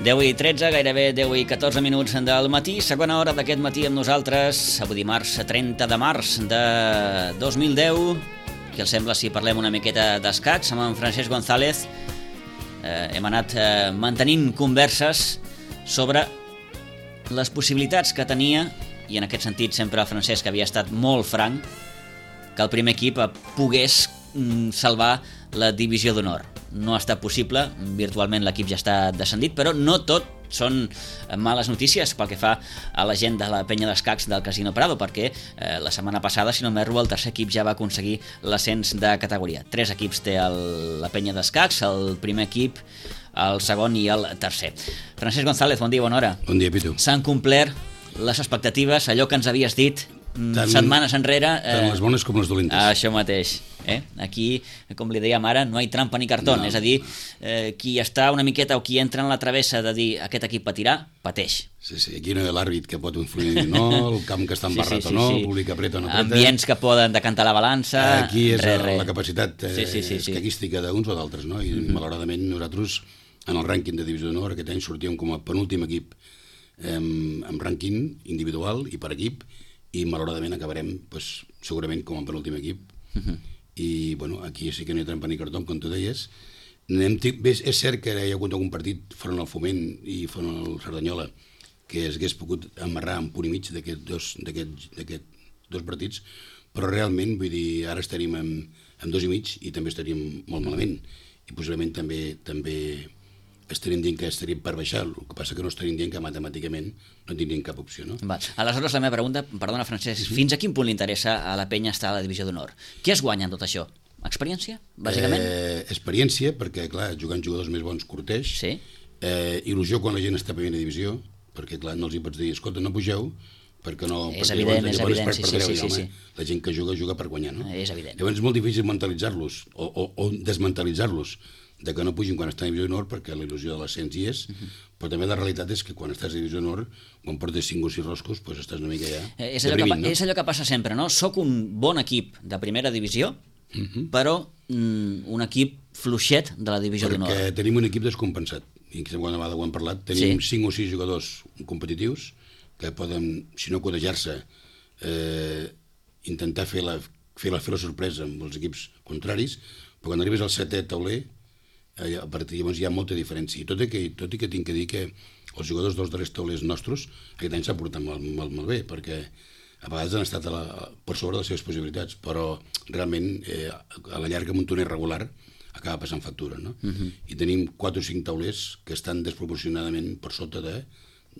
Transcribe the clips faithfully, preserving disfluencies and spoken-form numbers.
deu i tretze, gairebé deu i catorze minuts del matí, segona hora d'aquest matí amb nosaltres, avui dimarts trenta de març de dos mil deu. Què els sembla si parlem una miqueta d'escacs amb en Francesc González? Eh, hem anat eh, mantenint converses sobre les possibilitats que tenia, i en aquest sentit sempre el Francesc havia estat molt franc, que el primer equip pogués mm, salvar la divisió d'honor. No ha estat possible, virtualment l'equip ja està descendit, però no tot són males notícies pel que fa a la gent de la penya d'escacs del Casino Prado, perquè eh, la setmana passada, si no m'erro, el tercer equip ja va aconseguir l'ascens de categoria. Tres equips té el, la penya d'escacs, el primer equip, el segon i el tercer. Francesc González, bon dia, bona hora. Bon dia, Pitu. S'han complert les expectatives, allò que ens havies dit tant, setmanes enrere. Eh, tant les bones com les dolentes. Això mateix. Eh? Aquí, com li dèiem ara, no hi ha trampa ni cartó, no. És a dir, eh, qui està una miqueta o qui entra en la travessa de dir aquest equip patirà, pateix. Sí, sí, aquí no hi ha l'àrbit que pot influir no, el camp que està embarrat sí, sí, sí, o no, sí. El públic que apreta o no apreta. Ambients que poden decantar la balança. Aquí és re, re. la capacitat eh, sí, sí, sí, escaquística sí. d'uns o d'altres, no? I mm-hmm. malauradament nosaltres, en el rànquing de Divisió d'Honor, aquest any sortíem com a penúltim equip eh, amb rànquing individual i per equip, i malauradament acabarem pues, segurament com a penúltim equip. Mm-hmm. I bueno, aquí sí que no hi ha trampa ni cartó, com tu deies. Anem bé, és cert que hi ha hagut algun partit front al Foment i front al Cerdanyola que es hagués pogut amarrar en punt i mig d'aquests dos, d'aquest, dos partits, però realment, vull dir, ara estaríem amb, amb dos i mig i també estaríem molt malament, i possiblement també també estaríem dient que estaríem per baixar, el que passa que no estaríem dient que matemàticament no tindríem cap opció, no? Va. Aleshores, la meva pregunta, perdona, Francesc, mm-hmm. fins a quin punt li interessa a la penya estar a la divisió d'honor? Què es guanya en tot això? Experiència, bàsicament? Eh, experiència, perquè, clar, jugant jugadors més bons curteix. Sí. Eh, il·lusió quan la gent està a primera divisió, perquè, clar, no els hi pots dir, escolta, no pugeu, perquè no... És perquè evident, llavors, és llavors evident, per, sí, per sí, dreu, sí, sí, home, sí. La gent que juga, juga per guanyar, no? És evident. Llavors és molt difícil mentalitzar-los, o, o, o desmentalitzar-los, de que no pugin quan estan a divisió d'honor, perquè la il·lusió de l'ascens hi és, uh-huh. però també la realitat és que quan estàs a divisió d'honor, quan portes cinc o sis roscos, doncs estàs una mica ja eh, és, allò deprimint, que, no? És allò que passa sempre, no? Soc un bon equip de primera divisió, uh-huh. però mm, un equip fluixet de la divisió d'honor. Perquè tenim un equip descompensat, i quan vegada ho hem parlat, tenim sí. cinc o sis jugadors competitius que poden, si no codejar-se, eh, intentar fer la, fer, la, fer la sorpresa amb els equips contraris, però quan arribes al setè tauler, a partir llavors hi ha molta diferència, i tot i que, tot i que tinc que dir que els jugadors dels darrers taulers nostres aquest any s'han portat molt, molt, molt bé, perquè a vegades han estat a la, per sobre de les seves possibilitats, però realment eh, a la llarga amb un torneig regular acaba passant factura, no? Uh-huh. I tenim quatre o cinc taulers que estan desproporcionadament per sota de,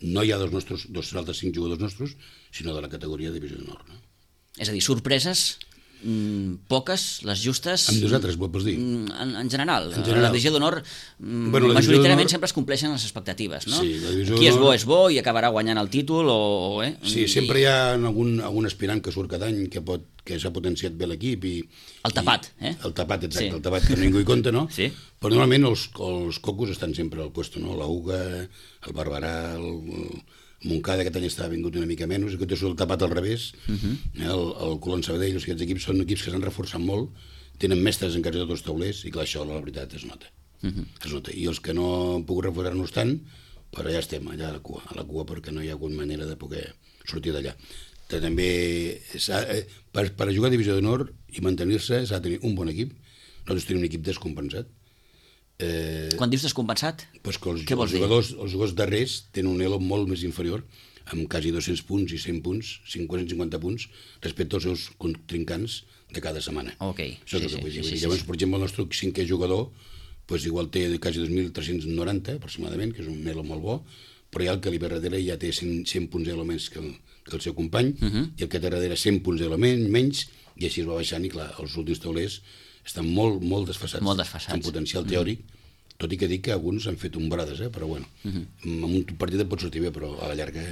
no hi ha dos, nostres, dos altres cinc jugadors nostres, sinó de la categoria de divisió d'honor, no? És a dir, sorpreses Mm, poques, les justes. Amb nosaltres, ho pots dir? En, en general, en general. La divisió d'honor mm, bueno, majoritàriament sempre es compleixen les expectatives, no? Sí, qui és bo és bo i acabarà guanyant el títol o... Eh? Sí, sempre I... hi ha algun, algun aspirant que surt cada any que, pot, que s'ha potenciat bé l'equip i... El tapat, i, eh? El tapat, exacte, sí. El tapat que ningú hi compta, no? Sí. Però normalment els, els cocos estan sempre al puesto, no? La Uga, el Barberà, el... Montcada, aquest any està vingut una mica menys, aquest és el tapat al revés, uh-huh. el, el Colón Sabadell, aquests equips són equips que s'han reforçat molt, tenen mestres en quasi tots els taulers, i clar, això la veritat es nota. Uh-huh. Es nota. I els que no han pogut reforçar-nos tant, però ja estem allà a la cua, a la cua perquè no hi ha hagut manera de poder sortir d'allà. També, per, per jugar a divisió d'honor i mantenir-se s'ha de tenir un bon equip, nosaltres tenim un equip descompensat. Eh, Quan dius descompensat, pues que els, què vols els jugadors, dir? Els jugadors darrers tenen un elo molt més inferior, amb quasi dos-cents punts i cent punts, cinquanta cinquanta punts, respecte als seus contrincants de cada setmana. Okay. Això és sí, el que sí, vull dir. Sí, sí, Llavors, sí. per exemple, el nostre cinquè jugador pues, igual té quasi dos mil tres-cents noranta, aproximadament, que és un elo molt bo, però ja el que li ve darrere ja té cent, cent punts elo més que el, que el seu company, uh-huh. i el que té darrere cent punts elo menys, i així es va baixant, i clar, els últims taulers estan molt, molt desfassats, molt desfassats. en potencial teòric, uh-huh. tot i que dic que alguns han fet umbrades, eh? Però bueno, uh-huh. amb un partit et pot sortir bé, però a la llarga...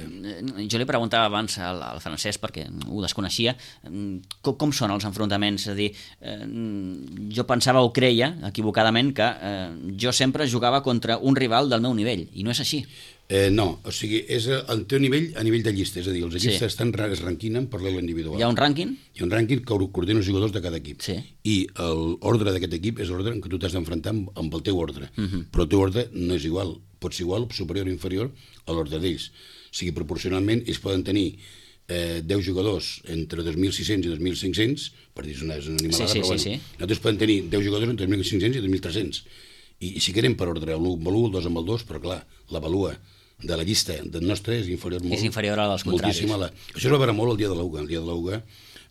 Jo li preguntava abans al, al Francesc, perquè ho desconeixia, com, com són els enfrontaments? És a dir, eh, jo pensava o creia, equivocadament, que eh, jo sempre jugava contra un rival del meu nivell, i no és així. Eh, no, o sigui, és el teu nivell a nivell de llista, és a dir, els equips sí. estan, es ranquinen per l'elo individual. Hi ha un rànquing? Hi ha un rànquing que coordina els jugadors de cada equip. Sí. I l'ordre d'aquest equip és l'ordre en què tu t'has d'enfrontar amb, amb el teu ordre. Uh-huh. Però el teu ordre no és igual pot ser igual, superior o inferior a l'ordre d'ells. O sigui, proporcionalment, ells poden tenir eh, deu jugadors entre dos mil sis-cents i dos mil cinc-cents, per dir, és una, és una animalada, sí, sí, però bueno, sí, sí. nosaltres podem tenir deu jugadors entre dos mil cinc-cents i dos mil tres-cents. I, i si querem per ordre, l'u amb l'u, el dos amb el dos, però clar, la valua de la llista del nostre és inferior molt. És inferior a dels contraris. La... Això es va veure molt el dia de l'Uga. El dia de l'Uga,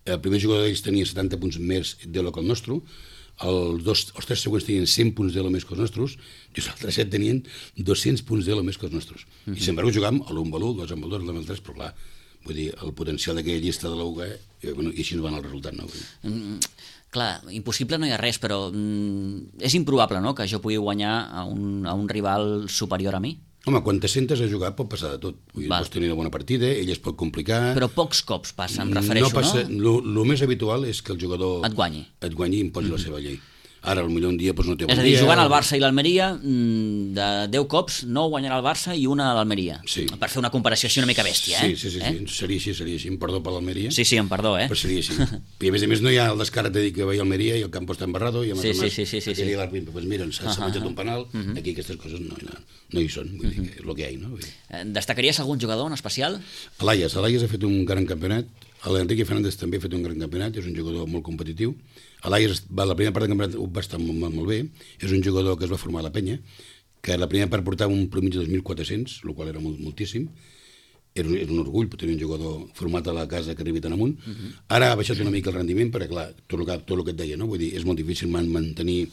el primer jugador d'ells tenia setanta punts més d'elo que el nostre, els, dos, els tres següents tenien cent punts d'elo més que els nostres, i els altres set tenien dos-cents punts d'elo més que els nostres. Mm -hmm. I sempre ho jugàvem a l'u amb l'u, el dos amb el dos, l'u amb el tres, però clar, vull dir, el potencial d'aquella llista de l'Uga, eh, bueno, i així ens va anar el resultat, no? Mm, clar, impossible no hi ha res, però mm, és improbable, no?, que jo pugui guanyar a un, a un rival superior a mi. Home, quan te sentes a jugar pot passar de tot. Vull dir, pots tenir una bona partida, ell es pot complicar... Però pocs cops passa, em refereixo, no? Passa, no? El més habitual és que el jugador... Et guanyi. Et guanyi i imposi mm-hmm. la seva llei. Ara, potser un dia doncs, no té bon dia... És a dir, jugant al Barça i l'Almeria, de deu cops, nou guanyarà el Barça i una a l'Almeria. Sí. Per fer una comparació així una mica bèstia, eh? Sí, sí, sí, eh? sí. Seria així, seria així. Em perdó per l'Almeria. Sí, sí, em perdó, eh? Però seria així. I a més a més no hi ha el descarat de dir que veia Almeria i el campo està embarrado i a sí, sí, sí, sí, sí, sí. l'àrbitre, doncs mira, s'ha uh -huh. menjat un penal, uh -huh. aquí aquestes coses no, no, no hi són, vull dir, és el que hi ha, no? Vull dir. Destacaries algun jugador en especial? L'Aies, l'Aies ha fet un gran campionat, l'Enrique Fernández també ha fet un gran campionat, és un jugador molt competitiu. L'Aies, la primera part del campionat va estar molt, molt bé, és un jugador que es va formar a la penya, que la primera part portava un promig de dos mil quatre-cents, el qual era molt, moltíssim, era un, era un orgull tenir un jugador format a la casa que arribi tan amunt. Uh -huh. Ara ha baixat una mica el rendiment, perquè clar, tot el que, tot el que et deia, no? Vull dir, és molt difícil mantenir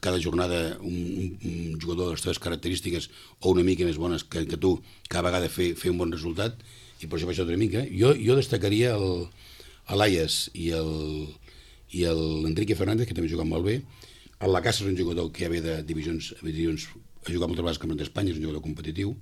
cada jornada un, un, un jugador de les teves característiques o una mica més bones que, que tu, cada vegada fer, fer un bon resultat, i per això ha baixat una mica. Jo, jo destacaria l'Aies i el... i l'Enrique Fernández, que també juga molt bé. El Lacasa és un jugador que ja ve de divisions, divisions ha jugat moltes vegades al Campionat d'Espanya, és un jugador competitiu,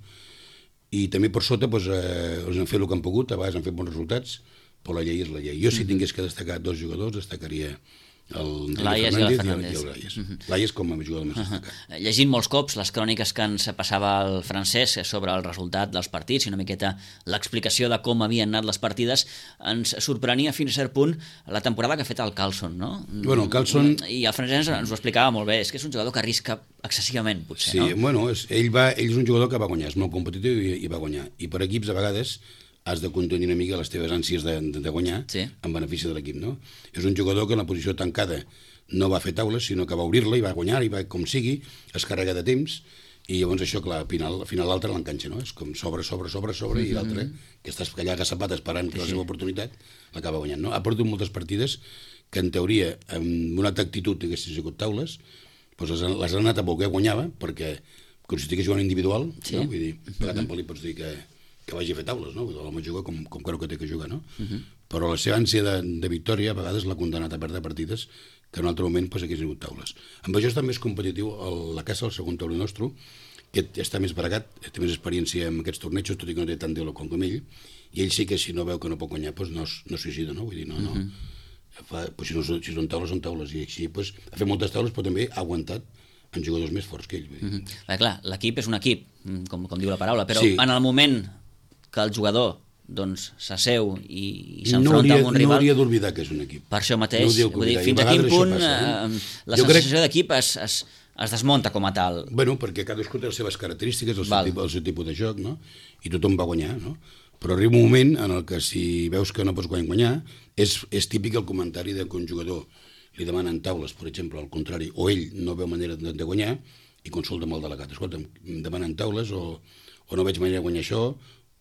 i també per sota doncs, eh, els han fet el que han pogut, a vegades han fet bons resultats, però la llei és la llei. Jo, si tingués que destacar dos jugadors, destacaria l'Aies i el Fernández. I l'Aies. L'Aies com a jugador més destacat. Llegint molts cops les cròniques que ens passava el Francesc sobre el resultat dels partits i una miqueta l'explicació de com havien anat les partides, ens sorprenia fins a cert punt la temporada que ha fet el Carlson, no? Bueno, el Carlson... I el Francesc ens ho explicava molt bé, és que és un jugador que arrisca excessivament, potser, sí, no? Sí, bueno, és, ell, va, ell és un jugador que va guanyar, és molt competitiu i, i va guanyar. I per equips, a vegades, has de contenir una mica les teves ànsies de, de, de guanyar, sí, en benefici de l'equip, no? És un jugador que en la posició tancada no va fer taules, sinó que va obrir-la i va guanyar, i va, com sigui, es carrega de temps, i llavors això, clar, al final, al final l'altre l'enganxa, no? És com sobre, sobre, sobre, sobre, mm-hmm. i l'altre, que estàs allà agasapat esperant sí, la seva oportunitat, l'acaba guanyant, no? Ha perdut moltes partides que, en teoria, amb una altra actitud haguessin sigut taules, doncs les, les han anat a voler guanyava, perquè, com si estigués jugant individual, sí, no? Vull dir, mm-hmm. tampoc li pots dir que que vagi a fer taules, no? L'home juga com, com creu que té que jugar, no? Uh-huh. Però la seva ànsia de, de victòria a vegades l'ha condemnat a perdre partides que en un altre moment pues, hagués sigut taules. Amb això està més competitiu el, la Casa, el segon taulí nostre, que està més bregat, té més experiència en aquests tornejos, tot i que no té tant d'elo com com ell, i ell sí que si no veu que no pot guanyar, pues, no, no suïcida, no? Vull dir, no, no. Uh-huh. Fa, pues, si, no si són taules, són taules, i així pues, ha fet moltes taules, però també ha aguantat amb jugadors més forts que ell. Vull dir. Uh-huh. Bé, clar, l'equip és un equip, com, com diu la paraula, però sí, en el moment que el jugador doncs s'asseu i, i s'enfronta no amb un rival... No hauria d'oblidar que és un equip. Per això mateix, no vull dir, fins a quin punt passa, eh? la jo sensació crec... d'equip es, es, es desmunta com a tal. Bueno, perquè cadascú té les seves característiques, el seu, tipus, el seu tipus de joc, no? I tothom va guanyar, no? Però arriba un moment en el que si veus que no pots guanyar, és, és típic el comentari de que un jugador li demanen taules, per exemple, al contrari, o ell no veu manera de, de guanyar i consulta amb el delegat. Escolta, em demanen taules o, o no veig manera de guanyar això,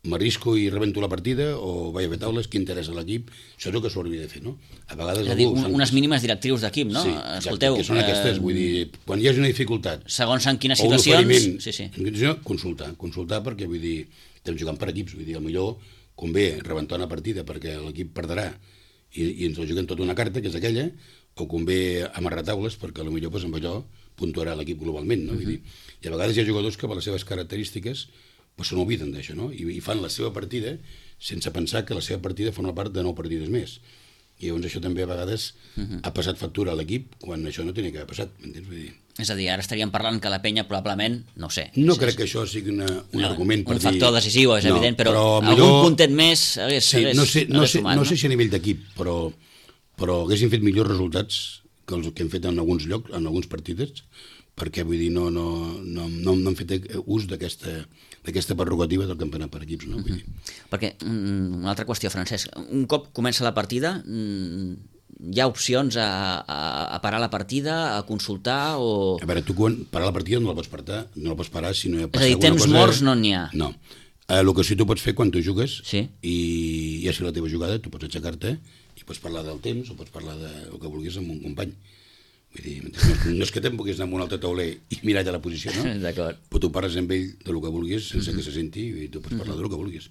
m'arrisco i rebento la partida o vaig a fer taules, què interessa l'equip, això és el que s'hauria de fer, no? A vegades... És a dir, un, unes mínimes directrius d'equip, no? Sí, exacte, Escolteu, que són aquestes, eh, vull dir, quan hi hagi una dificultat... Segons en quines situacions... Sí, sí. Consultar, consultar perquè, vull dir, estem jugant per equips, vull dir, millor convé rebentar una partida perquè l'equip perdrà i, i ens la juguem tota una carta, que és aquella, o convé amarrar taules perquè potser pues, amb allò puntuarà l'equip globalment, no? Uh-huh. Vull dir, i a vegades hi ha jugadors que per les seves característiques pues se n'obliden d'això, no? I, I fan la seva partida sense pensar que la seva partida forma part de nou partides més. I llavors això també a vegades uh-huh. ha passat factura a l'equip quan això no tenia que haver passat, m'entens? Vull dir... És a dir, ara estaríem parlant que la penya probablement, no ho sé... No és, crec és... que això sigui una, un no, argument per un dir... Un factor decisiu, és no, evident, però, però algun millor... puntet més hagués, sí, hagués, no sé, no hagués sé, sumat, no sé si a nivell d'equip, però, però haguessin fet millors resultats que, els, que hem fet en alguns llocs, en alguns partits, perquè vull dir, no, no, no, no, no hem fet ús d'aquesta d'aquesta prerrogativa del campionat per equips, no? Vull dir. Perquè, una altra qüestió, Francesc, un cop comença la partida, hi ha opcions a, a, a parar la partida, a consultar o... A veure, tu quan parar la partida no la pots parar, no la pots parar si no hi ha passat alguna cosa... És a dir, temps cosa... morts no n'hi ha. No. Eh, el que sí tu pots fer quan tu jugues, sí. I ja si la teva jugada, tu pots aixecar-te i pots parlar del temps o pots parlar del que vulguis amb un company. Vull dir, no, no és que te'n puguis anar amb un altre tauler i mirar allà la posició, no? D'acord. Però tu parles amb ell de lo que vulguis sense mm-hmm. que se senti i tu pots parlar mm-hmm. de lo que vulguis.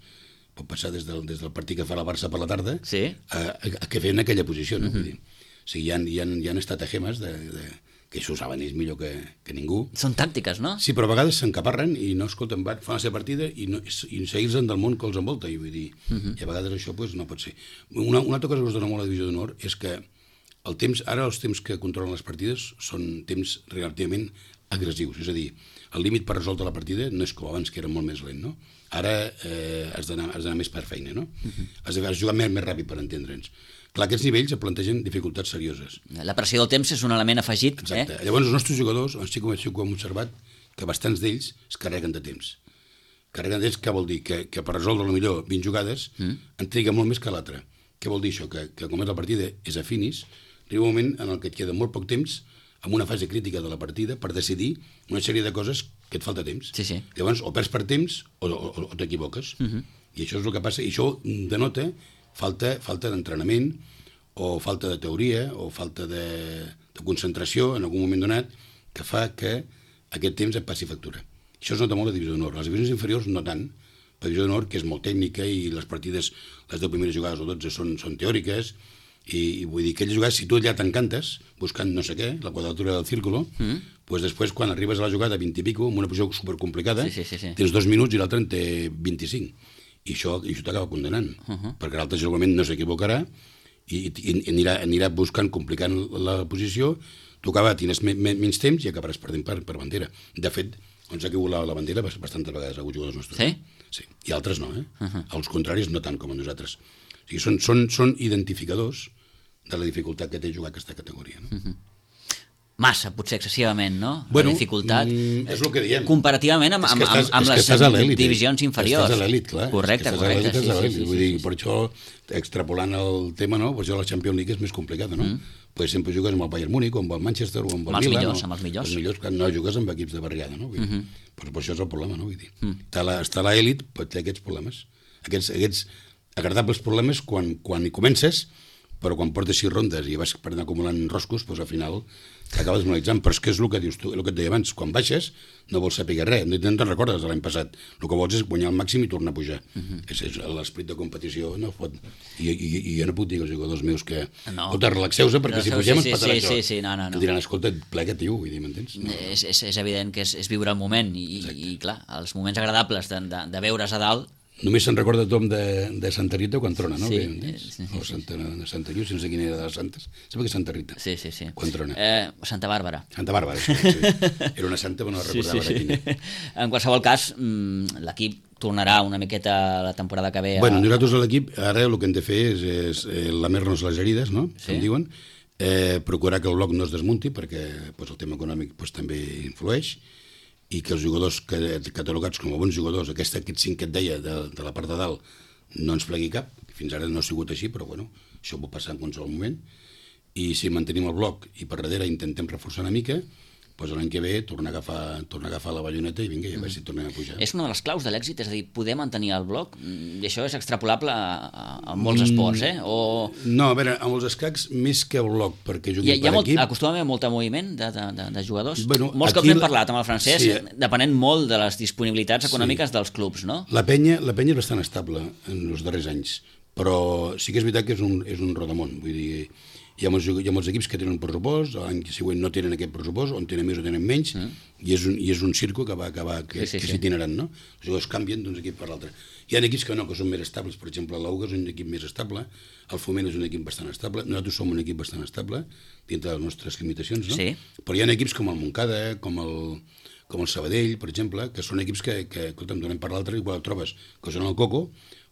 Pot passar des del, des del partit que fa la Barça per la tarda sí. a, a, a que feien aquella posició, no? Mm-hmm. Vull dir, o sigui, hi ha, hi ha, hi ha estratagemes de, de, que això ho saben ells millor que, que ningú. Són tàctiques, no? Sí, però a vegades s'encaparren i no escolten, fan la seva partida i, no, i seguir-se'n del món que els envolta. I, vull dir, mm-hmm. i a vegades això pues, no pot ser. Una, una altra cosa que us dona molt la divisió d'honor és que el temps, ara els temps que controlen les partides són temps relativament agressius, és a dir, el límit per resoldre la partida no és com abans, que era molt més lent, no? Ara eh, has d'anar més per feina, no? Uh-huh. Has de jugar més, més ràpid per entendre'ns. Clar, aquests nivells plantegen dificultats serioses. La pressió del temps és un element afegit. Exacte. Eh? Llavors els nostres jugadors, sí que hem observat que bastants d'ells es carreguen de temps. Carreguen de temps, què vol dir? Que, que per resoldre millor vint jugades uh-huh. en triga molt més que l'altre. Què vol dir això? Que, que com és la partida és a finis, arriba un moment en el que et queda molt poc temps en una fase crítica de la partida per decidir una sèrie de coses que et falta temps. Sí, sí. Llavors, o perds per temps o, o, o t'equivoques. Uh-huh. I això és el que passa. I això denota falta, falta d'entrenament o falta de teoria o falta de, de concentració en algun moment donat que fa que aquest temps et passi factura. Això es nota molt a la divisió d'honor. Les divisions inferiors no tant. La divisió d'honor, que és molt tècnica i les partides, les deu primeres jugades o dotze són, són teòriques. I, i vull dir que aquelles jugades, si tu allà t'encantes buscant no sé què, la quadratura del círculo, mm. pues després quan arribes a la jugada vint i pico, amb una posició supercomplicada, sí, sí, sí, sí. tens dos minuts i l'altre en té vint-i-cinc. I això, i això t'acaba condenant, uh -huh. perquè l'altre segurament no s'equivocarà i, i, i anirà, anirà buscant, complicant la posició, tu acaba, tindràs me, me, menys temps i acabaràs perdent per, per bandera. De fet, on s'ha caigut la, la bandera bastantes vegades a jugadors nostres. Sí? Sí, i altres no, eh? Uh -huh. Els contraris no tant com a nosaltres. O sigui, són, són, són identificadors de la dificultat que té jugar aquesta categoria. No? Uh-huh. Massa, potser excessivament, no? Bueno, la dificultat. Mm, és el que diem. Comparativament amb, amb, amb, amb les divisions inferiors. Estàs a l'elit, clar. Correcte, correcte. Sí, sí, sí, Vull sí, dir, sí. per això, extrapolant el tema, no? Pues la Champions League és més complicada, no? Mm. Pues sempre jugues amb el Bayern Múnich, o amb el Manchester, o amb el amb Milan. Millors, no? Amb els millors, Els millors, no jugues amb equips de barriada, no? Vull dir, mm-hmm. pues, pues això és el problema, no? Vull dir. Mm. Està l'elit, pot té aquests problemes. Aquests, aquests agradables problemes quan, quan hi comences, però quan portes sis rondes i vas per anar acumulant roscos, doncs al final t'acabes desmoralitzant. Però és que és el que dius tu, el que et deia abans, quan baixes no vols saber res, no te'n recordes de l'any passat, el que vols és guanyar el màxim i tornar a pujar. Uh-huh. és, és l'esperit de competició no pot... I, i, i jo no puc dir als jugadors meus que no. escolta, relaxeu-se perquè no, si pugem sí, ens patarà sí, això. Sí, sí, no, no, no. Que diran, escolta, plega, tio, vull dir, m'entens? No, és, és, és evident que és, és viure el moment i, i clar, els moments agradables de, de, de veure's a dalt. Només se'n recorda tothom de, de Santa Rita quan trona, no? Sí, sí, sí, sí. O Santa, Santa Lluís, no sé quina era de les santes. Sempre que Santa Rita. Sí, sí, sí. Quan trona. Eh, Santa Bàrbara. Santa Bàrbara, sí, sí. Era una santa, però no recordava sí, sí, sí. quina. En qualsevol cas, l'equip tornarà una miqueta la temporada que ve. A... Bueno, nosaltres a l'equip, ara el que hem de fer és, és eh, lamer-nos les herides, no? Sí. Com diuen. Eh, procurar que el bloc no es desmunti, perquè pues, el tema econòmic pues, també influeix, i que els jugadors catalogats com a bons jugadors, aquest, aquest cinc que et deia de, de la part de dalt, no ens plegui cap. Fins ara no ha sigut així, però bueno, això pot passar en qualsevol moment. I si mantenim el bloc i per darrere intentem reforçar una mica, doncs l'any que ve tornar a agafar, tornar a agafar la balloneta i vinga, i a veure si tornem a pujar. És una de les claus de l'èxit, és a dir, poder mantenir el bloc, i això és extrapolable a, a, a molts esports, eh? O... No, a veure, amb els escacs, més que el bloc, perquè juguin hi ha, per hi ha molt, equip... Acostuma a haver molt moviment de, de, de, de jugadors. Bueno, molts cops hem parlat amb el Francesc, sí, depenent molt de les disponibilitats econòmiques sí. dels clubs, no? La penya, la penya és bastant estable en els darrers anys, però sí que és veritat que és un, és un rodamont, vull dir... Hi ha, molts, hi ha molts equips que tenen un pressupost, l'any següent no tenen aquest pressupost, on tenen més o tenen menys, mm. i, és un, i és un circo que va acabar, que, sí, sí, que s'hi itinerant, no? Els jugadors canvien d'un equip per l'altre. Hi ha equips que no, que són més estables, per exemple, l'Auga és un equip més estable, el Foment és un equip bastant estable, nosaltres som un equip bastant estable, dintre de les nostres limitacions, no? Sí. Però hi ha equips com el Montcada, com el, com el Sabadell, per exemple, que són equips que, que escolta'm, donem per l'altre, igual el trobes que són el Coco,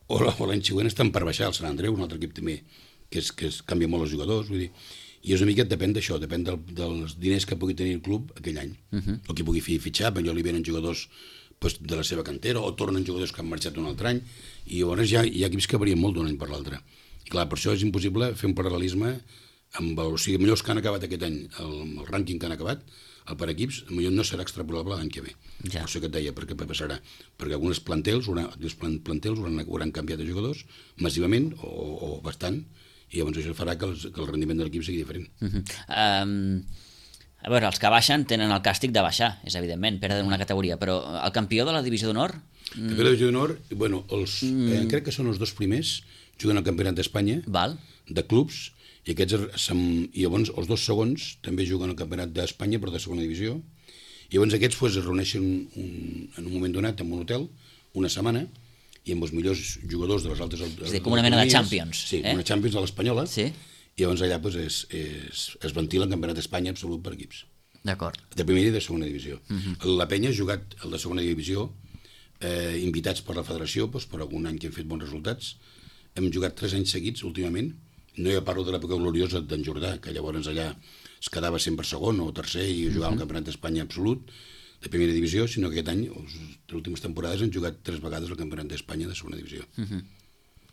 o l'any següent estan per baixar, el Sant Andreu, un altre equip també, que, és, que és, canvia molt els jugadors, vull dir, I és una mica, depèn d'això, depèn del, dels diners que pugui tenir el club aquell any, uh-huh. o qui pugui fer fitxar, perquè li venen jugadors pues, de la seva cantera, o tornen jugadors que han marxat un altre any, i llavors hi ha, hi ha equips que varien molt d'un any per l'altre. I clar, per això és impossible fer un paral·lelisme amb, o sigui, millor els que han acabat aquest any, el, el rànquing que han acabat, el per equips, millor no serà extrapolable l'any que ve. Ja. Per això que et deia, perquè passarà. Perquè alguns plantels, els plantels hauran, hauran canviat de jugadors massivament o, o bastant, i llavors això farà que, els, que el rendiment de l'equip sigui diferent. Uh-huh. um, a veure, els que baixen tenen el càstig de baixar, és evidentment, perden una categoria, però el campió de la divisió d'honor... El campió de la divisió d'honor, bueno, els, mm. eh, crec que són els dos primers, juguen al campionat d'Espanya, de clubs, i aquests, i llavors els dos segons també juguen al campionat d'Espanya però de segona divisió, i llavors aquests pues, es reuneixen un, en un moment donat en un hotel, una setmana, i amb els millors jugadors de les altres... És a dir, com una mena de Champions. Sí, eh? una Champions de l'Espanyola, sí. I llavors allà pues, es, es, es ventila el campionat d'Espanya absolut per equips. D'acord. De primera i de segona divisió. Uh-huh. La Penya ha jugat el de segona divisió, eh, invitats per la federació, pues, per algun any que hem fet bons resultats. Hem jugat tres anys seguits últimament. No ja parlo de l'època gloriosa d'en Jordà, que llavors allà es quedava sempre segon o tercer i jugava uh-huh. al campionat d'Espanya absolut, de primera divisió, sinó que aquest any, les últimes temporades, han jugat tres vegades al campionat d'Espanya de segona divisió. Uh-huh.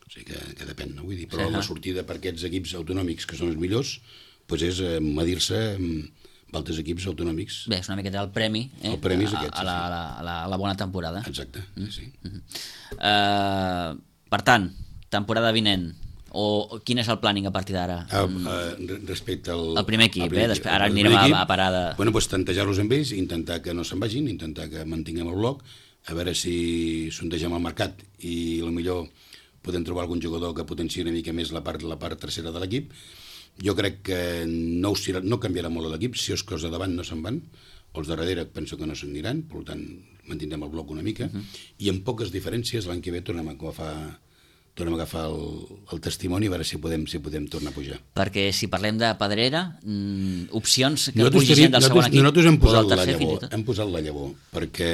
O sigui que, que depèn, no? Vull dir, però sí, la sortida per aquests equips autonòmics, que són els millors, pues és eh, medir-se amb altres equips autonòmics. Bé, és una miqueta el premi, eh? El premi és aquest, a, a, la, a, la, a, la, a la bona temporada. Exacte, mm. sí. Uh-huh. uh, per tant, temporada vinent, o quin és el planning a partir d'ara? Uh, uh, respecte al... El primer equip, primer eh? Després, ara anirem a, a parada... Bueno, doncs tantejar-los amb ells, intentar que no se'n vagin, intentar que mantinguem el bloc, a veure si sondegem el mercat i potser podem trobar algun jugador que potenciï una mica més la part, la part tercera de l'equip. Jo crec que no, us, no canviarà molt l'equip, si els cos de davant no se'n van, els de darrere penso que no se'n aniran, per tant mantindrem el bloc una mica, uh-huh. i amb poques diferències l'any que ve tornem a agafar... tornem a agafar el, el testimoni a veure si podem, si podem tornar a pujar. Perquè si parlem de Pedrera, mmm, opcions que pugi gent del segon equip nosaltres hem posat, la llavor, hem posat la llavor perquè,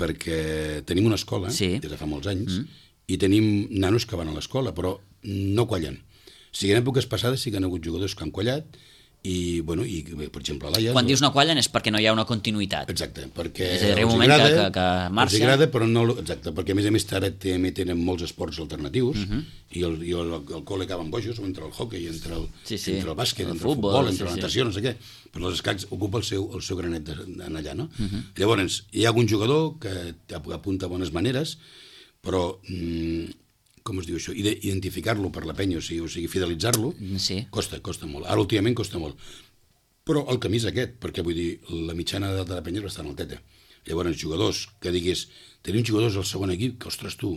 perquè tenim una escola sí. des de fa molts anys mm. i tenim nanos que van a l'escola però no quallen. O sigui, en èpoques passades sí que han hagut jugadors que han quallat i, bueno, i per exemple l'Aia... Quan dius no quallen és perquè no hi ha una continuïtat. Exacte, perquè és a dir, un moment agrada, que, que, que marxa... Els agrada, però no... Exacte, perquè a més a més ara també tenen molts esports alternatius uh-huh. i, el, i el, el col·le acaben bojos, entre el hockey, entre el, sí, sí. entre el bàsquet, el entre futbol, el futbol, entre sí, la natació, sí. no sé què, però els escacs ocupa el seu, el seu granet en allà, no? Uh-huh. Llavors, hi ha algun jugador que apunta bones maneres, però... Mm, com es diu això, identificar-lo per la penya, o sigui, o sigui fidelitzar-lo, sí. costa, costa molt. Ara, últimament, costa molt. Però el camí és aquest, perquè, vull dir, la mitjana de la penya és bastant alteta. Llavors, jugadors que digués, tenim jugadors al segon equip, que, ostres, tu,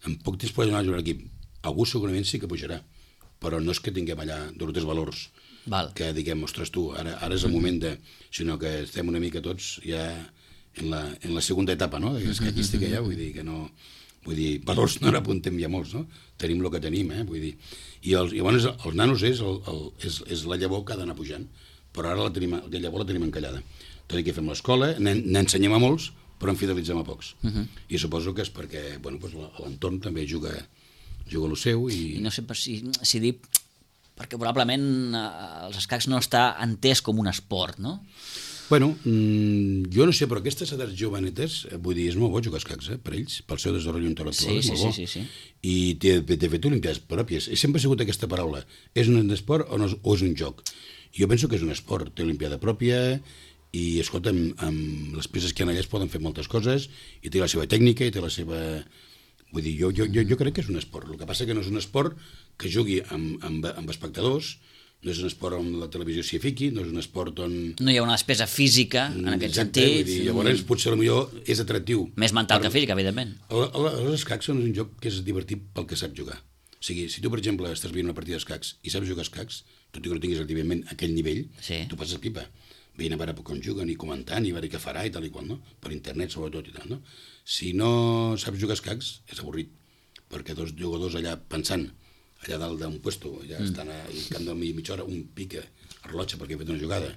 en poc temps pots anar a jugar a l'equip. Algú segurament sí que pujarà, però no és que tinguem allà dos valors Val. que diguem, ostres, tu, ara, ara és el moment de... sinó que estem una mica tots ja en la, en la segona etapa, no?, escaquística ja, vull dir que no... Vull dir, valors no n'apuntem ja molts, no? Tenim el que tenim, eh? Vull dir... I, els, i llavors els nanos és, el, el, és, és la llavor que ha d'anar pujant, però ara la, tenim, la llavor la tenim encallada. Tot i que fem l'escola, n'ensenyem a molts, però en fidelitzem a pocs. Uh-huh. I suposo que és perquè, bueno, doncs l'entorn també juga, juga el seu i... I no sé si, si dir... perquè probablement eh, els escacs no està entès com un esport, no? Bueno, mmm, jo no sé, però aquestes edats jovenetes, vull dir, és molt bo jugar escacs, eh, per ells, pel seu desenvolupament intel·lectual, sí, és molt sí, bo. Sí, sí, sí. I té, té fet olimpiades pròpies. He sempre sigut aquesta paraula. És un esport o, no, o és un joc? Jo penso que és un esport. Té olimpiada pròpia i, escolta, amb, amb les peces que hi ha allà es poden fer moltes coses i té la seva tècnica i té la seva... Vull dir, jo, jo, jo, jo crec que és un esport. El que passa que no és un esport que jugui amb, amb, amb espectadors, no és un esport on la televisió s'hi fiqui, no és un esport on... No hi ha una despesa física, en aquest Exacte, sentit. Vull dir, llavors, potser potser és atractiu. Més mental per... que físic, evidentment. Els escacs són un joc que és divertit pel que sap jugar. O sigui, si tu, per exemple, estàs veient una partida d'escacs i saps jugar escacs, tot i que no tinguis activament aquell nivell, sí. tu passes pipa. Veient a veure com juguen i comentant i a veure què farà i tal i qual, no? Per internet, sobretot i tal, no? Si no saps jugar escacs, és avorrit, perquè dos jugadors allà pensant allà dalt d'un puesto, ja mm. estan al camp de mitja hora, un pica el rellotge perquè ha fet una jugada,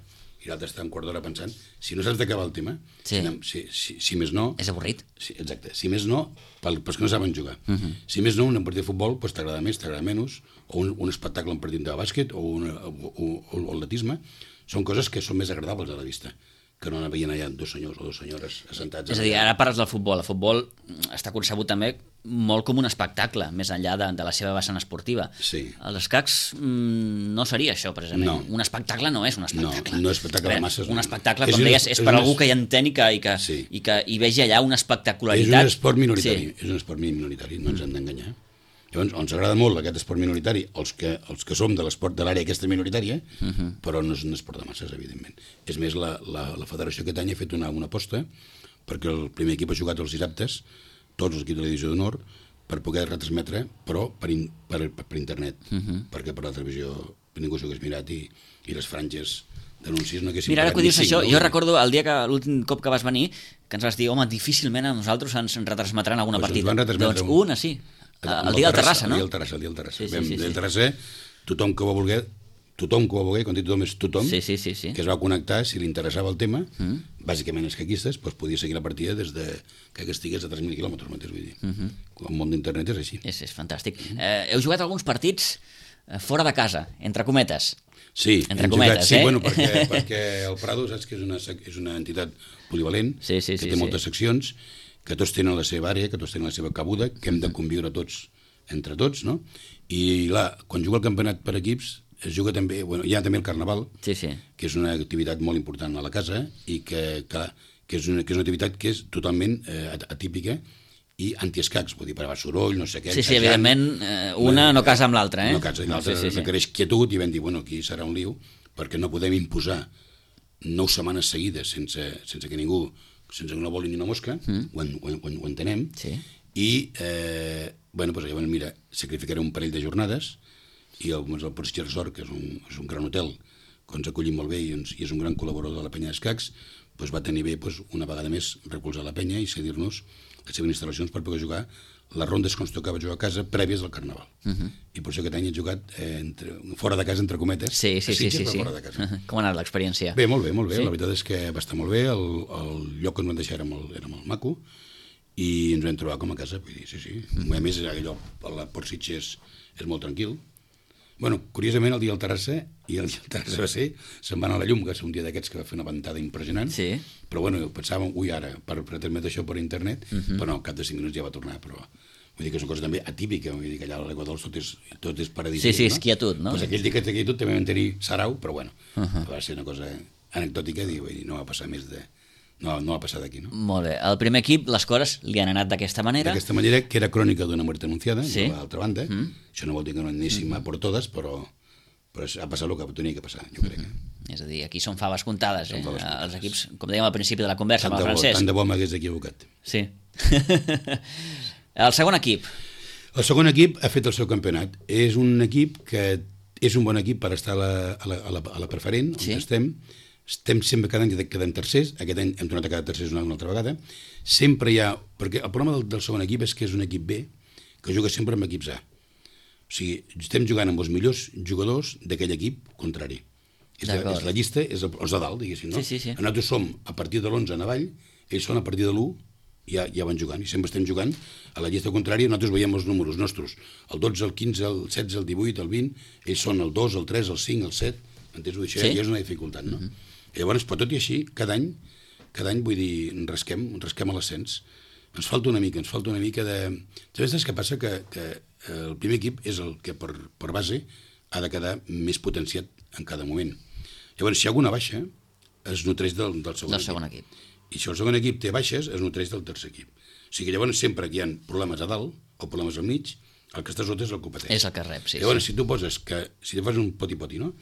i l'altre està un quart d'hora pensant. Si no saps d'acabar el tema, sí. si, si, si més no... És avorrit. Sí, exacte. Si més no, pel, pels que no saben jugar. Uh -huh. Si més no, un partit de futbol pues, t'agrada més, t'agrada menys, o un, un espectacle, un partit de bàsquet, o, una, o, o, o atletisme, són coses que són més agradables a la vista, que no anar veient allà dos senyors o dues senyores assentats. És a dir, ara parles del futbol. El futbol està concebut també molt com un espectacle, més enllà de, de la seva vessant esportiva. Sí. Els escacs mmm, no seria això, precisament. No. Un espectacle no és un espectacle. No, no és espectacle de masses. Un espectacle, no. com és deies, un, és, és per un, algú que hi entén i que, i que, sí. i que hi vegi allà una espectacularitat. És un esport minoritari, sí. és un esport minoritari, no ens mm. hem d'enganyar. Llavors, ens agrada molt aquest esport minoritari, els que, els que som de l'esport de l'àrea aquesta minoritària, uh -huh. però no és un esport de masses, evidentment. És més, la, la, la federació aquest any ha fet una, una aposta perquè el primer equip ha jugat els dissabtes, tots els equips de la divisió d'honor, per poder retransmetre, però per, in, per, per, per internet, uh -huh. perquè per la televisió ningú s'ho hagués mirat i, i les franges d'anuncis no haguessin... Mira, ara que dius cinc, això, no? jo recordo el dia que l'últim cop que vas venir, que ens vas dir, home, difícilment a nosaltres ens retransmetran alguna pues partida. Doncs un... una, sí. El, el dia del Terrassa, no? El dia del Terrassa, el dia del Terrassa. Sí, sí, Vam, sí, sí. del Terrassa, tothom que ho va voler, tothom que ho va voler, quan dic tothom és tothom, sí, sí, sí, sí. que es va connectar, si li interessava el tema, mm. bàsicament els caquistes, doncs podia seguir la partida des de que estigués a tres mil quilòmetres, mateix, vull dir. Mm -hmm. El món d'internet és així. És, és fantàstic. Mm. Eh, heu jugat alguns partits fora de casa, entre cometes. Sí, entre cometes, jugat, eh? sí, bueno, perquè, perquè el Prado, saps que és una, és una entitat polivalent, sí, sí, que sí, té sí. moltes seccions, que tots tenen la seva àrea, que tots tenen la seva cabuda, que hem de conviure tots entre tots, no? I, clar, quan juga el campionat per equips, es juga també, bueno, hi ha també el Carnaval, sí, sí. que és una activitat molt important a la casa i que, que, que, és, una, que és una activitat que és totalment eh, atípica i antiescacs, vull dir, per a soroll, no sé què... Sí, sí, evidentment, eh, una no casa amb l'altra, eh? No casa amb l'altra, sí, sí, sí. requereix quietud i vam dir, bueno, aquí serà un liu, perquè no podem imposar nou setmanes seguides sense, sense que ningú, sense que no voli ni una mosca, mm. ho, ho, ho, ho entenem, sí. i, eh, bueno, doncs llavors, mira, sacrificaré un parell de jornades i el, el Portsig Resort, que és un, és un gran hotel, que ens acollim molt bé i, ens, i és un gran col·laborador de la penya d'escacs, doncs va tenir bé doncs, una vegada més recolzar la penya i cedir-nos les seves instal·lacions per poder jugar les rondes que ens tocava jugar a casa prèvies al Carnaval. Uh -huh. I per això aquest any he jugat eh, entre, fora de casa, entre cometes, sí, sí, a Sitges, sí, sí, sí. fora de casa. Uh -huh. Com ha anat l'experiència? Bé, molt bé, molt bé. Sí. La veritat és que va estar molt bé, el, el lloc que ens van deixar era molt, era molt maco, i ens vam trobar com a casa, vull dir, sí, sí. Uh -huh. A més, allò, el Port Sitges és molt tranquil. Bueno, curiosament, el dia del Terrassa, i el dia del Terrassa va ser, se'n va anar a la llum, que és un dia d'aquests que va fer una ventada impressionant, sí. però bueno, pensàvem, ui, ara, per, per transmetre això per internet, uh -huh. però no, al cap de cinc minuts ja va tornar, però... Vull dir que és una cosa també atípica, vull dir que allà a l'Aigua Dols tot és, tot és paradisíac, sí, sí, no? és quietud, no? Pues aquell dia que té quietud també vam tenir sarau, però bueno, uh -huh. va ser una cosa anecdòtica, i vull dir, no va passar més de... No, no va passar d'aquí, no? Molt bé. El primer equip, les coses li han anat d'aquesta manera. D'aquesta manera, que era crònica d'una mort anunciada, sí. de l'altra banda. Mm. Això no vol dir que no anéssim mm. a per totes, però, però ha passat el que tenia que passar, jo crec. Mm. És a dir, aquí són faves comptades, eh? Faves comptades. Els equips, com dèiem al principi de la conversa, tant amb el bo, Francesc. Tant de bo m'hagués equivocat. Sí. El segon equip. El segon equip ha fet el seu campionat. És un equip que és un bon equip per estar a la, a la, a la, a la preferent, sí. on estem. Estem sempre, cada any quedem tercers, aquest any hem tornat a quedar tercers una, una altra vegada. Sempre hi ha... Perquè el problema del, del segon equip és que és un equip B que juga sempre amb equips A. O sigui, estem jugant amb els millors jugadors d'aquell equip contrari. És la, és la llista, és el, els de dalt, diguéssim, no? Sí, sí, sí. Nosaltres som a partir de l'onze en avall, ells són a partir de l'u, ja, ja van jugant, i sempre estem jugant a la llista contrària, nosaltres veiem els números nostres, el dotze, el quinze, el setze, el divuit, el vint, ells són el dos, el tres, el cinc, el set, entens? Això sí? Ja és una dificultat, no? Uh-huh. I llavors, però tot i així, cada any, cada any vull dir, rasquem, rasquem a l'ascens. Ens falta una mica, ens falta una mica de... Saps què passa? Que, que el primer equip és el que per, per base ha de quedar més potenciat en cada moment. Llavors, si hi ha alguna baixa, es nutreix del, del segon del equip. segon equip. I si el segon equip té baixes, es nutreix del tercer equip. O sigui, llavors, sempre que hi ha problemes a dalt o problemes al mig, el que està sota és el que ho pateix. És el que rep, sí. Llavors, sí. si tu poses que, si tu fas un poti-poti, no?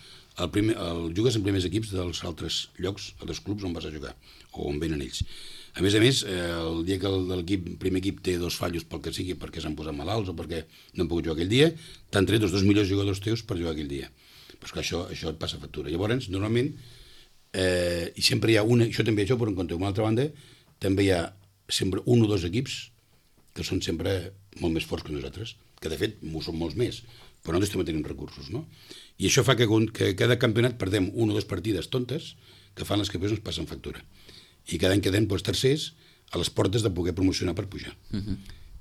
El primer, el, jugues en primers equips dels altres llocs, altres clubs on vas a jugar, o on venen ells. A més a més, eh, el dia que el, el primer equip té dos fallos pel que sigui, perquè s'han posat malalts o perquè no han pogut jugar aquell dia, t'han tret els dos millors jugadors teus per jugar aquell dia. Però és que això, això et passa factura. Llavors, normalment, eh, i sempre hi ha una, això també això, però en compte, una altra banda, també hi ha sempre un o dos equips que són sempre molt més forts que nosaltres, que de fet són molts més, però nosaltres també tenim recursos, no? I això fa que, que cada campionat perdem una o dues partides tontes, que fan les campions ens passen factura. I cada any quedem doncs, tercers a les portes de poder promocionar per pujar. Uh-huh.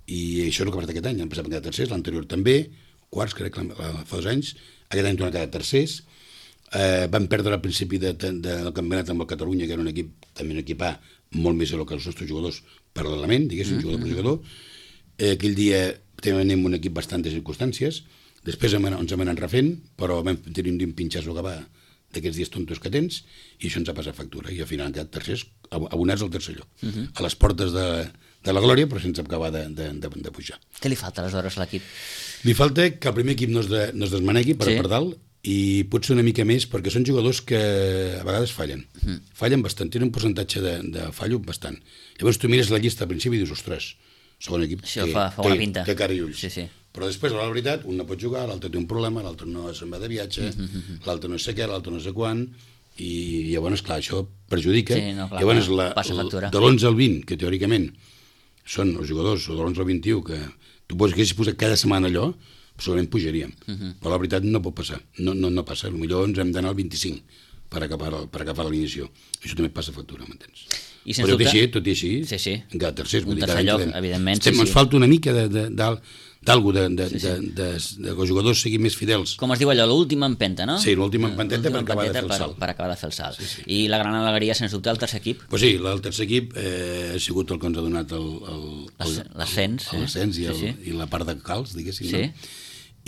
I això és el que ha passat aquest any. Han passat a quedar tercers, l'anterior també, quarts, crec que fa dos anys, aquest any tornen a quedar tercers. Eh, van perdre al principi de, de, del campionat amb el Catalunya, que era un equip, també un equip A, molt més que els nostres jugadors paral·lelament, diguéssim, uh-huh. jugador per jugador. Eh, aquell dia teníem un equip bastant de circumstàncies, després ens hem anat refent, però vam tenir un pinxasso que va d'aquests dies tontos que tens, i això ens ha passat factura, i al final han quedat tercers, abonats al tercer lloc, uh-huh. a les portes de, de la glòria, però sense acabar de, de, de, de pujar. Què li falta aleshores a l'equip? Li falta que el primer equip no es, de, no es desmanegui per, sí. per dalt, i potser una mica més, perquè són jugadors que a vegades fallen. Uh-huh. Fallen bastant, tenen un percentatge de, de fallo bastant. Llavors tu mires la llista al principi i dius, ostres, segon equip, això té, fa, fa una té, pinta. té cara i ulls. Sí, sí. Però després, a la veritat, un no pot jugar, l'altre té un problema, l'altre no se'n va de viatge, uh-huh. l'altre no sé què, l'altre no sé quan, i llavors, clar, això perjudica. Sí, no, clar, llavors, la, passa factura. De l'onze al vint, que teòricament són els jugadors, o de l'onze al vint-i-u, que tu pots que haguessis posat cada setmana allò, segurament pujaríem. Uh-huh. Però la veritat no pot passar, no, no, no passa. Potser ens hem d'anar al vint-i-cinc per acabar, per acabar l'inició. Això també passa factura, m'entens? I sens però tot dubte... i així, tot i així, sí, sí. encara tercers, un tercer lloc, quedem. Evidentment. Estem, sí, ens sí. falta una mica de, de, de, d'algú, de, de, sí, sí. de, de, de, de que els jugadors siguin més fidels. Com es diu allò, l'última empenta, no? Sí, l'última empenteta per acabar de fer el salt. Per, per acabar de fer el salt. Sí, sí. I la gran alegria, sens dubte, el tercer equip? Pues sí, el tercer equip eh, ha sigut el que ens ha donat l'ascens el, el, l'ascens i, el, sí, sí. i la part de calç, diguéssim. Sí. No?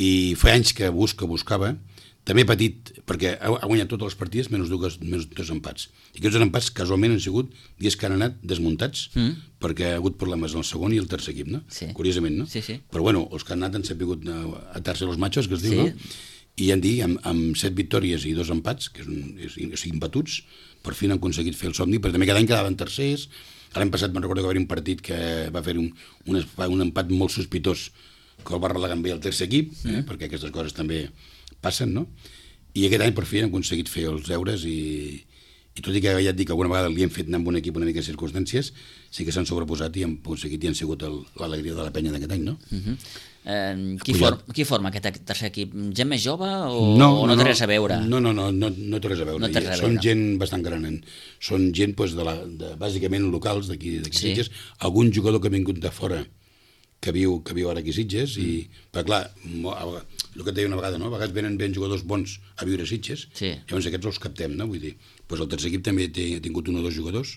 I fa anys que busca, buscava, també petit, perquè ha, ha guanyat totes les partides menys dos, menys dos empats. I aquests dos empats casualment han sigut dies que han anat desmuntats, mm. perquè ha hagut problemes en el segon i el tercer equip, no? Sí. Curiosament, no? Sí, sí. Però bueno, els que han anat han sapigut atar-se els matxos, que es diu, sí. no? I han dit, amb, amb set victòries i dos empats, que és un, és, o sigui, impatuts, per fi han aconseguit fer el somni, però també cada any quedaven tercers. L'any passat me'n recordo que va haver un partit que va fer un, un, un empat molt sospitós, que el va relegar amb el tercer equip, eh? mm. perquè aquestes coses també passen, no? I aquest any per fi han aconseguit fer els deures i, i tot i que ja et dic que alguna vegada li hem fet anar amb un equip una mica de circumstàncies, sí que s'han sobreposat i han aconseguit i han sigut l'alegria de la penya d'aquest any, no? Uh-huh. Eh, qui, for, qui forma aquest tercer equip? Gent més jove o no, o no, no té res a veure? No, no, no, no, no té res a veure. No res a Són veure. Gent bastant gran. Són gent, pues, de la, de, bàsicament, locals d'aquí sí. Sitges. Algun jugador que ha vingut de fora que viu, que viu ara aquí a Sitges, mm. i, però clar, el que et deia una vegada, no? A vegades venen ben jugadors bons a viure a Sitges, sí. llavors aquests els captem, no? Vull dir, doncs el tercer equip també té, ha tingut un o dos jugadors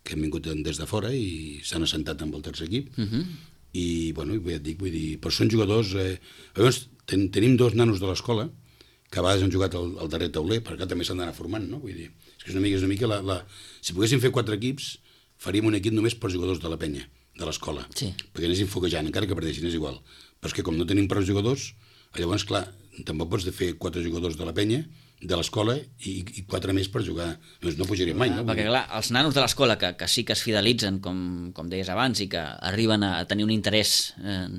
que han vingut des de fora i s'han assentat amb el tercer equip, mm -hmm. i, bueno, ja et dic, vull dir, però són jugadors... Eh, llavors, ten, tenim dos nanos de l'escola que a vegades han jugat al, al darrer tauler, perquè també s'han d'anar formant, no? Vull dir, és que és una mica, és una mica la, la... Si poguéssim fer quatre equips, faríem un equip només per jugadors de la penya, de l'escola, sí. perquè anéssim foguejant, encara que perdessin, és igual. Però és que com no tenim prou jugadors, llavors, clar, tampoc pots fer quatre jugadors de la penya, de l'escola, i, i quatre més per jugar. Doncs no pujaríem mai, no? Perquè, clar, els nanos de l'escola, que, que sí que es fidelitzen, com, com deies abans, i que arriben a tenir un interès eh,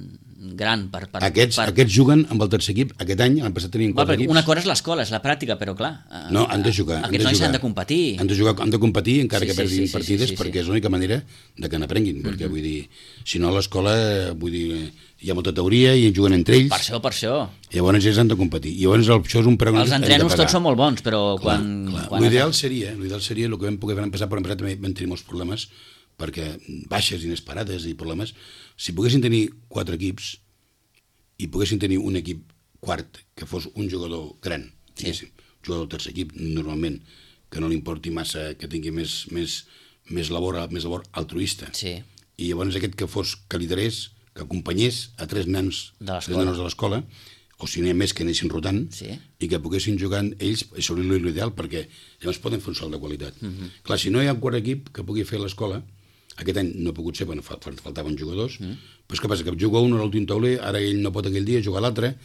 gran per... per, aquests, per... aquests juguen amb el tercer equip. Aquest any, l'any passat tenien quatre equips. Una cosa és l'escola, és la pràctica, però clar... Eh, no, han de jugar. Aquests nois han de competir. Han de jugar, han de competir, encara sí, que perdin sí, sí, partides, sí, sí, sí, perquè és l'única manera de que n'aprenguin, mm-hmm. perquè, vull dir, si no a l'escola, vull dir, hi ha molta teoria i juguen entre ells. Per això, per això. Llavors ells han de competir. I llavors això és un preu. Els entrenos tots són molt bons, però clar, quan... Clar. quan l'ideal seria, l'ideal seria el que vam poder empezar, però empezar també vam tenir molts problemes, perquè baixes inesperades i problemes. Si poguessin tenir quatre equips i poguessin tenir un equip quart que fos un jugador gran, sí. un jugador del tercer equip, normalment, que no li importi massa, que tingui més, més, més, labor, més labor altruista. Sí. I llavors aquest que fos, que liderés, que acompanyés a tres nens de l'escola, o si n'hi ha més que anessin rotant, sí. i que poguessin jugar ells, això és l'ideal, perquè llavors poden fer un salt de qualitat. Uh-huh. Clar, si no hi ha un quart equip que pugui fer l'escola, aquest any no ha pogut ser, bueno, faltaven jugadors, uh-huh. però és que passa que juga un a l'últim tauler, ara ell no pot aquell dia, juga l'altre,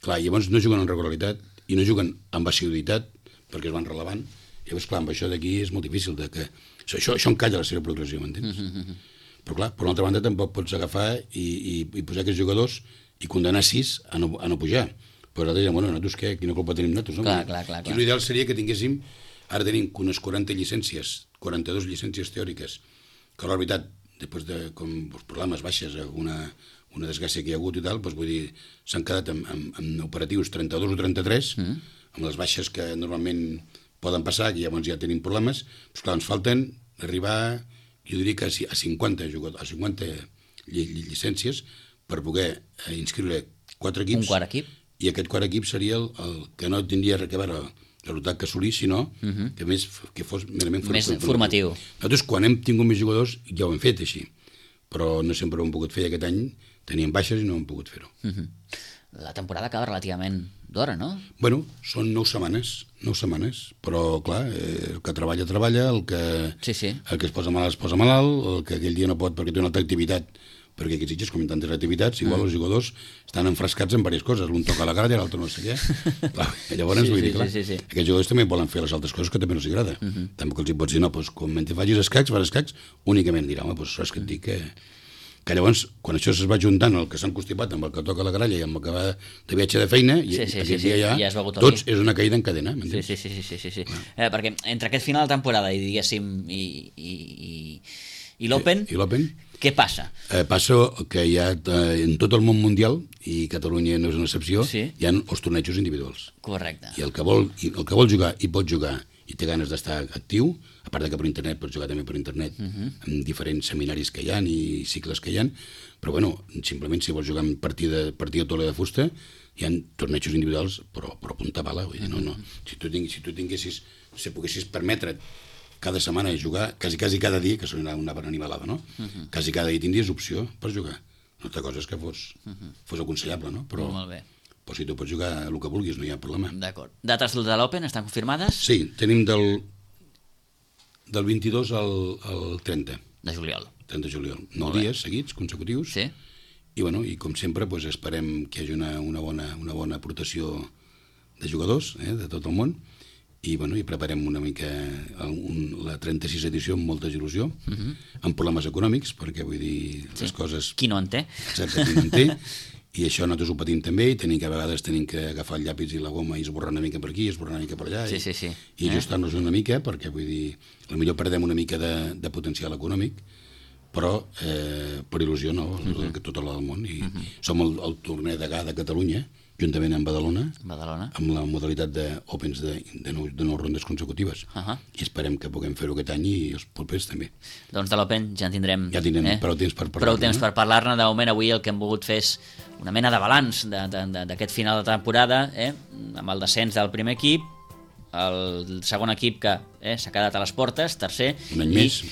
clar, llavors no juguen amb regularitat, i no juguen amb assiduïtat, perquè es van relevant, llavors, clar, amb això d'aquí és molt difícil, de que... això, això, això encalla la seva progressió, m'entens? Uh-huh. Però clar, per una altra banda tampoc pots agafar i, i, i posar aquests jugadors i condenar sis a no, a no pujar. Però nosaltres diem, bueno, nosaltres què? Quina culpa tenim nosaltres? No? Clar, clar, clar, clar. I l'ideal seria que tinguéssim, ara tenim unes quaranta llicències, quaranta-dues llicències teòriques, que la veritat, després de com, els problemes baixes, una, una desgràcia que hi ha hagut i tal, doncs vull dir, s'han quedat amb, amb, amb operatius trenta-dos o trenta-tres, mm. amb les baixes que normalment poden passar, que llavors ja tenim problemes, però clar, ens falten arribar, jo diria que a cinquanta, a cinquanta llicències per poder inscriure quatre equips. Un quart equip. I aquest quart equip seria el, el que no tindria res a veure el resultat que assolir, sinó uh -huh. que més que fos merament més formatiu. Nosaltres, quan hem tingut més jugadors, ja ho hem fet així, però no sempre ho hem pogut fer. Aquest any teníem baixes i no hem pogut fer-ho. Uh -huh. La temporada acaba relativament d'hora, no? Bueno, són nou setmanes, nou setmanes, però clar, eh, el que treballa, treballa, el que, sí, sí. el que es posa malalt, es posa malalt, el que aquell dia no pot perquè té una altra activitat, perquè aquests Sitges, com en tantes activitats, igual mm. els jugadors estan enfrascats en diverses coses, l'un toca la gralla, l'altre no sé què. Clar, llavors, sí, vull sí, dir, clar, sí, sí. aquests jugadors també volen fer les altres coses que també no els agrada. Mm -hmm. Tampoc els hi pots dir, no, doncs, com mentre facis escacs, fas escacs, únicament dirà, home, doncs saps que et dic que... que llavors, quan això es va juntant, el que s'han constipat amb el que toca la gralla i amb el que va de viatge de feina, sí, sí, i sí, aquest sí, dia ja, ja es tots és una caïda en cadena, m'entens? Sí, sí, sí, sí, sí, sí. Eh, perquè entre aquest final de temporada i, diguéssim, i, i, i, i l'Open, I, i l'Open, què passa? Eh, passa que hi ha, eh, en tot el món mundial, i Catalunya no és una excepció, sí. hi ha els tornejos individuals. Correcte. I el que vol, i el que vol jugar i pot jugar i té ganes d'estar actiu, a part de que per internet pots jugar també per internet, uh -huh. en diferents seminaris que hi ha i cicles que hi ha, però bueno, simplement si vols jugar en partida, partida tola de fusta, hi ha tornejos individuals, però, però punta bala, vull dir, no, no. Si tu, tinguis, si tu tinguessis, si poguessis permetre't cada setmana jugar, quasi, quasi cada dia, que són una bona animalada, no? Uh -huh. Quasi cada dia tindries opció per jugar. Una altra cosa és que fos, uh -huh. fos aconsellable, no? Però, molt bé. Però si tu pots jugar el que vulguis, no hi ha problema. D'acord. Dates de l'Open estan confirmades? Sí, tenim del, del vint-i-dos al, al trenta. De juliol. trenta de juliol. Nou dies seguits, consecutius. Sí. I, bueno, i com sempre, doncs, esperem que hi hagi una, una, bona, una bona aportació de jugadors, eh, de tot el món, i, bueno, i preparem una mica un, la trenta-sisena edició amb molta il·lusió, uh -huh. amb problemes econòmics, perquè, vull dir, sí. les coses... Qui no en té? Exacte, qui no en té. I això nosaltres ho patim també, i tenim que a vegades tenim que agafar el llapis i la goma i esborrar una mica per aquí, esborrar una mica per allà, sí, sí, sí. i, i ajustar-nos una mica, perquè, vull dir, potser perdem una mica de, de potencial econòmic, però eh, per il·lusió no, uh -huh. que tot el del món, i uh -huh. som el, el torner de G A de Catalunya, juntament amb Badalona, Badalona, amb la modalitat d'Opens de, de, nou, de nou rondes consecutives. Uh -huh. I esperem que puguem fer-ho aquest any i els propers també. Doncs de l'Open ja en tindrem... Ja tindrem eh? prou temps per parlar-ne. Prou temps per parlar-ne. De moment, avui el que hem volgut fer és una mena de balanç d'aquest final de temporada, eh? Amb el descens del primer equip, el segon equip que eh, s'ha quedat a les portes, tercer, un any i, més.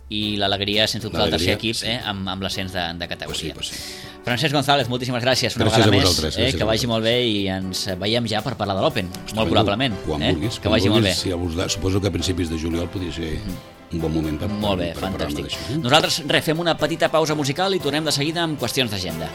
i l'alegria, sense dubte, del tercer equip, sí. eh, amb, amb l'ascens de, de categoria. Pues sí, pues sí. Francesc González, moltíssimes gràcies una gràcies vegada més, eh, que vagi molt bé i ens veiem ja per parlar de l'Open, molt probablement. Quan eh? vulguis. Que vagi molt bé. Si vols, suposo que a principis de juliol podria ser un bon moment per, molt bé, per, per fantàstic. parlar-ne d'això. Eh? Nosaltres refem una petita pausa musical i tornem de seguida amb qüestions d'agenda.